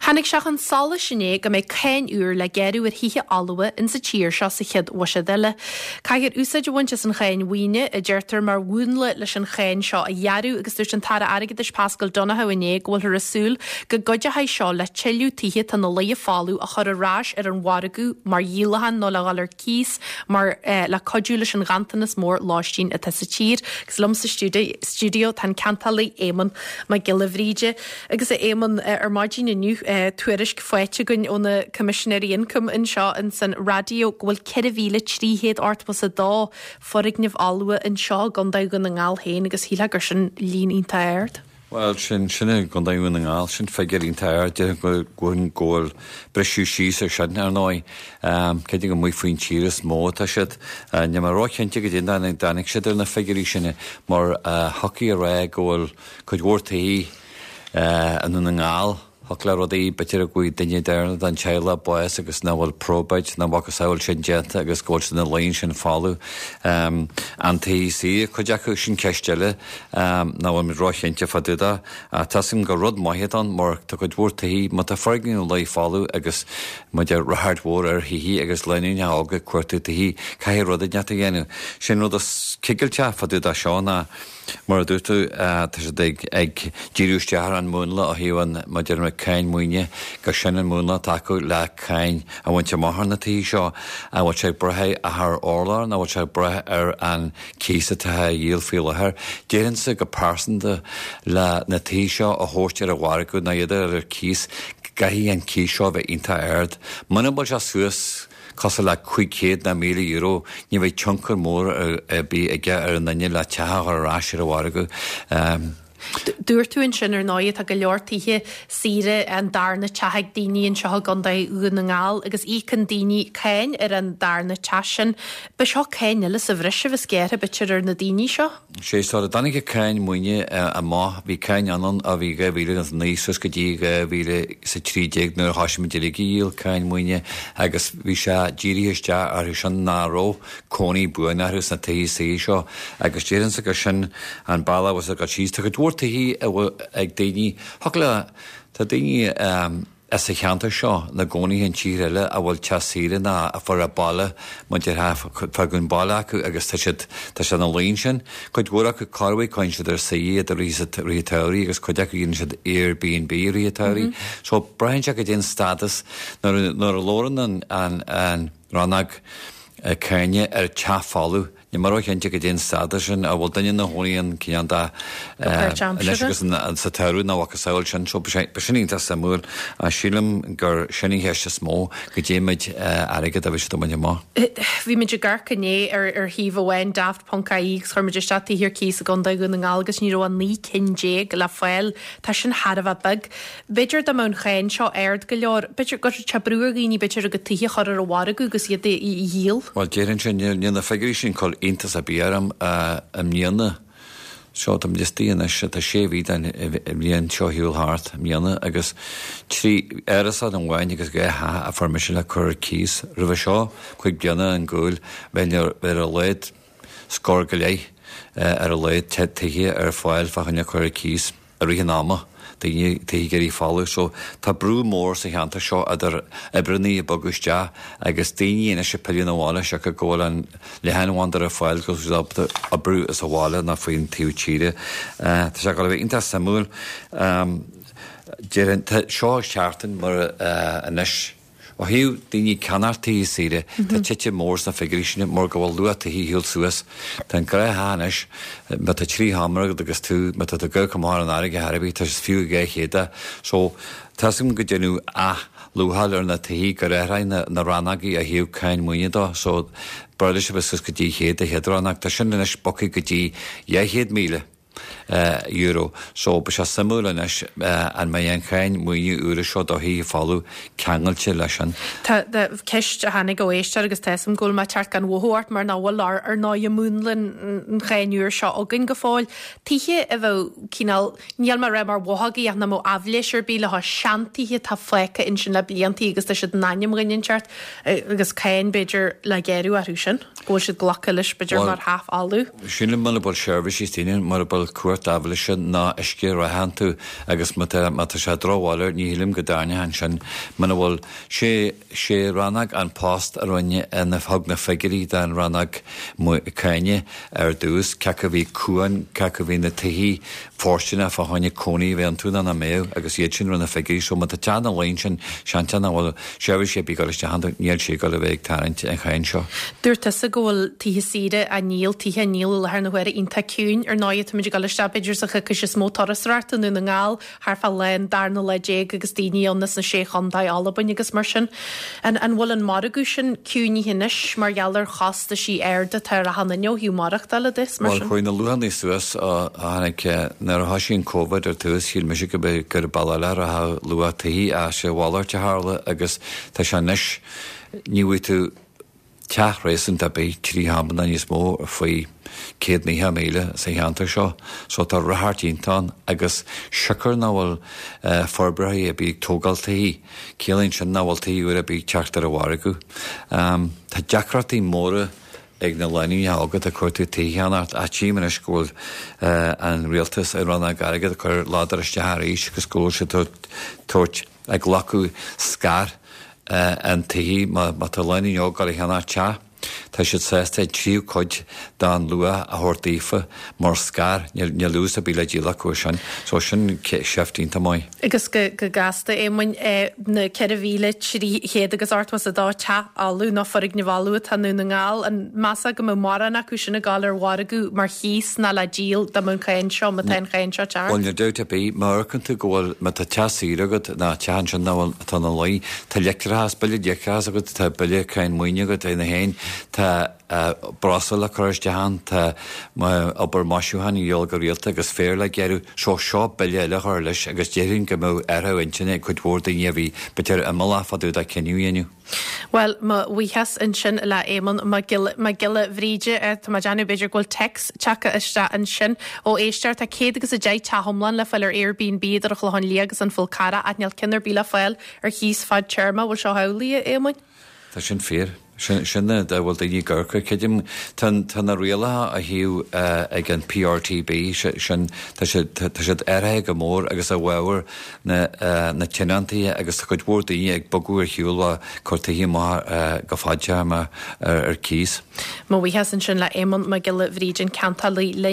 Tháinig sé chun solais inné go mbeidh cáin úr le gearradh ar thithe fholmha insa tír seo sa chéad bhuiséad eile. Caithfear úsáid a bhaint as an cháin mhaoine, a deirtear, mar mhúnla leis an cháin seo a ghearradh agus dúirt an tAire Airgeadais Paschal Donohoe inné go bhfuilthear ag súil go gcuideoidh seo le tuilleadh tithe atá ina luí folamh a chur ar ais ar an mhargadh mar dhíolachán nó le dhul ar cíos mar le cuidiú leis an ghanntanas mór lóistín atá sa tír. Agus liom sa stiúideo tá an ceantálaí Éamonn Mac Giolla Bhríde. Agus a Éamonn, ar maidin inniu, tuairisc faighte againn ó na Coimisinéirí Ioncaim anseo ins an raidió go bhfuil 4,382 foirgneamh fholmha anseo i gContae Dhún na nGall féin agus shílfeá gur sin líon iontach ard. Bhuel, sin, sin i gContae Dhún na nGall, sin figiúr iontach ard. Déarfainn go go bhfuil briseadh síos ar sin, ar ndóigh. Creidim gur amuigh faoin tír is mó atá siad. Níl mé róchinnte goidé a dtáinig siad ar na figiúirí sin mar thiocfaí a rá go bhfuil cuid mhór tithe i nDún na nGall, thiocfadh le rudaí, b'fhéidir go bhfuair duine deireanach den teaghlach bás agus nach bhfuil probate, nó a mhacasamhail sin déanta agus go bhfuil siad ina luí ansin folamh. An tithe saoire, cuid acu, sin ceist eile nach bhfuil muid róchinnte fá dtaobh de. Ach tá 'fhios agam gur rud maith atá ann mar tá cuid mhór tithe, má tá foirgneamh ina luí folamh agus muid ar ráchairt mhór ar thithe agus lánúineacha óga ag cuartú tithe, caithfidh rud inteacht a dhéanamh. Sin rud is cigilteach fá dtaobh de seo ná, Mar a dúirt tú, tá siad ag díriú isteach ar an múnla ó thaobh an, mar a deir mé, cáin maoine, gur sin an múnla atá acu le cáin a bhaint amach ar na tithe seo. An bhfuil sé ag brath ar urlár nó an bhfuil sé ag brath ar an cíos atá á dhíol faoi láthair? Déarfainnse go pearsanta le na tithe seo a thabhairt ar an mhargadh nó iad a chur ar cíos, caithfidh an cíos seo a bheith iontach ard. Muna bhfuil sé suas, cosúil le 500 nó €1,000, ní bheidh tionchar mór ar bith aige ar an nduine le teach a chur ar ais ar an mhargadh. Dúirt tú ansin, ar ndóigh, tá go leor tithe saoire, an darna teach ag daoine anseo i gContae Dhún na nGall agus íocann daoine cáin ar an darna teach sin. Beidh seo cáin eile sa bhreis a bheas gearrtha b'fhéidir ar na daoine seo? Sé sula dtáinig an cáin maoine amach bhí cáin ann ó bhí 2009 suas go dtí 2013 nuair a thoisigh muid uilig a dhíol cáin maoine agus bhí sé dírithe isteach orthu sin nach raibh cónaí buan orthu sna tithe saoire seo agus déarfainnse gur sin an bealach a bhfuil sé ag dul síos. Tá cuid mhór tithe ag daoine, thiocfadh le, tá daoine, as an cheantar seo ina gcónaí in tíortha eile a bhfuil teach saoire ná a fuair a baile mar a déarfá fágadh baile acu agus tá siad tá siad ina luí ansin. Cuid mhór acu corruair coinníonn siad ar saoi iad i rith i rith an tsamhraidh agus cuid acu dhéanann siad Airbnb i rith an tsamhraidh. So braitheann sé goidé an stádas nuair nuair a labhrann an an an rannóg cáine ar teach folamh Níl mé róchinnte goidé an stádas sin, an bhfuil duine ina chónaí ann cineál de anois agus sa tsamhradh nó a mhacasamhail sin, so b'shin iontach suimiúil ach sílim gur sin an cheist is mó, goidé méid airgead a bheidh siad ag baint amach. Bhí muid ag amharc inné ar ar shuíomh amháin, daft ponc ie, agus chuir muid isteach tithe ar cíos i gContae Dhún na nGall agus ní raibh ach 19 cinn le fáil. Tá sin thar a bheith beag. B'fhéidir dá mbeadh an cháin seo ard go leor, b'fhéidir go gcuirfeadh sé brú ar dhaoine b'fhéidir a gcuid tithe a chur ar an mhargadh agus iad a dhíol. Bhuel, déarfainnse, níl na figiúirí sin ag cur iontas ar bith orm i mbliana. Seo, tá muid istigh anois, tá sé mhí den bhliain seo ar shiúl thart i mbliana agus trí árasán amháin agus dhá theach a fuair mise le cur ar cíos. Roimhe seo, cúig bliana ar gcúl, bheinn ar a laghad scór go leith ar a laghad tithe ar fáil fá choinne cur ar cíos. i rith an ama, daoine tithe ag éirí folamh so tá brú mór sa cheantar seo idir oibreannaí ag bogadh isteach agus daoine anois ag pilleadh 'na bhaile siocair go bhfuil an leathanbhanda ar fáil go bhfuil siad ábalta oibriú as an bhaile nó faoin taobh tíre. Tá sé ag dul a bheith iontach suimiúil. Déarfainn, tá seo seachtain mar anois. Ó thaobh daoine ag ceannacht tithe saoire, tá titim mór sna figiúirí sin mar go bhfuil luach tithe ar shiúl suas. Tá an gnáth-theach anois, má tá trí sheomra agat agus tú, má tá tú ag amharc amach ar an fharraige ar bith, tá sé fiú 200 de. So, tá 'fhios agam go deineadh athluacháil ar na tithe gur athraigh na na rannógaí ó thaobh cáin maoine dó. So, b'fhearr leis a bheith suas go dtí 100 de chéad rannóg. Tá sin anois bogtha go dtí 200,000. euro. So, beidh sé suimiúil anois an mbeidh an cháin maoine úr seo do thithe folamh ceangailte leis sin. Tá ceist a tháinig ó éisteoir agus tá 'fhios a'm go bhfuil mé ag teacht gan mhothú ort mar nach bhfuil ar ndóigh múnla an cháin úr seo againn go fóill. Tithe a bheadh cineál, níl mé ag rá mar bhothógaí ach nach mbeadh aibhléis ar bith leo, seantithe atá fágtha ansin le bliantaí agus tá siad in ainm dhuine inteacht agus cáin b'fhéidir le gearradh orthu sin, go bhfuil siad glactha leis b'fhéidir mar theach folamh. Sílim mura bhfuil seirbhísí daoine, mura bhfuil. bhfuil cumhacht aibhléise ná uisce reatha iontu agus má tá má tá sé drochbhail air ní shílim go dtarraingeodh ansin muna bhfuil sé sé rannóg An Post a rinne a thug na figiúirí don rannóg cáine ar dtús, cé acu a bhí ciúin, cé acu a bhí na tithe fóirsteanach fá choinne cónaí a bheith iontu nó nach mbeadh agus iad sin rinne na figiúirí. So má tá teach ina luí ansin, seanteach nach bhfuil seirbhísí ar bith ag dul isteach iontu, níl sé ag dul a bheith ag tarraingt an cháin seo. Dúirt tusa go bhfuil tithe saoire á ndíol, tithe á ndíol i láthair na huaire iontach ciúin. Ar ndóighe, táimid ag dul isteach b'fhéidir sa choicís is mó turasóireachta i nDún na nGall. thart fá lá an darna lá déag agus daoine ann as na Sé Chontae, Albain agus mar sin. An an bhfuil an margadh sin ciúinithe anois mar gheall ar chostaisí arda atá ar achan duine ó thaobh maireachtála de is mar Bhuel, sin? chuaigh na luachanna suas ó tháinig, nuair a thoisigh an Covid ar tús, shíl mise go b'é gur bealach eile a rachadh luach tithe ach sé a mhalairt a tharla agus tá sé anois, ní bhfaighidh tú, teach réasúnta ar bith, 3 sheomra nó níos mó faoi 190,000 sa cheantar seo so tá ráchairt iontach ann agus siocair nach bhfuil forbróirí ar bith ag tógáil tithe, ciallaíonn sin nach bhfuil tithe úra ar bith ag teacht ar an mhargadh. Tá deacrachtaí móra ag na lánúineacha óga atá ag cuartú tithe a cheannacht ach tchím anois go bhfuil an rialtas, an rannóg airgid ag cur ladar isteach arís agus go bhfuil siad ag tabhairt ag glacadh scair an tithe má tá lánúin óg ag dul a cheannach teach, tá siad sásta an tríú cuid den luach a thabhairt daofa mar scair, níl ús ar bith le díol acu ar sin. So sin shift iontach maith. Agus go gasta, Éamoinn, na 4,300 agus 82 teach fholamh nó foirgneamh fholamh atá i nDún na nGall, an measfá go mbeadh mórán acu sin ag dul ar mhargadh mar chíos ná le díol dá mbeadh an cháin seo, má tá an cháin seo teacht? Bhuel, níl dabht ar bith, má amharcann tú go bhfuil, má tá teach saor agat ná teach ansin nach bhfuil, atá ina luí, tá leictreachas, bille leictreachais agat, tá bille cáin maoine agat ina féin, tá breosla le cur isteach ann, tá obair maisiúcháin a dhíobháil go rialta agus féar le gearradh, so seo bille eile a chur leis agus déarfainn go mbeadh athrú intinne ag cuid mhór daoine a bhí b'fhéidir imeallach fá dtaobh de cinneadh a dhéanamh. Bhuel, mo bhuíochas ansin le Éamonn Mac Giolla Bhríde. Tá mé ag déanamh, b'fhéidir go bhfuil téacs tagtha isteach ansin ó éisteoir. Tá 110 teach iomlán le fáil ar Airbnb idir an Chlochán Liath agus an Fhál Carrach ach níl ceann ar bith le fáil ar chíos fadtéarma. Bhfuil seo amhlaidh, a Éamoinn? Tá sin fíor. Sin a bhfuil daoine ag amharc air. Creidim, tá na rialacha ó thaobh ag an PRTB, sin, tá siad, tá siad athraithe go mór agus i bhfabhar na na tionóntaithe agus tá cuid mhór daoine ag bogadh ar shiúl ag cur tithe amach go fadtéarma ar cíos. Mo bhuíochas ansin le Éamonn Mac Giolla Bhríde, an ceantálaí linn.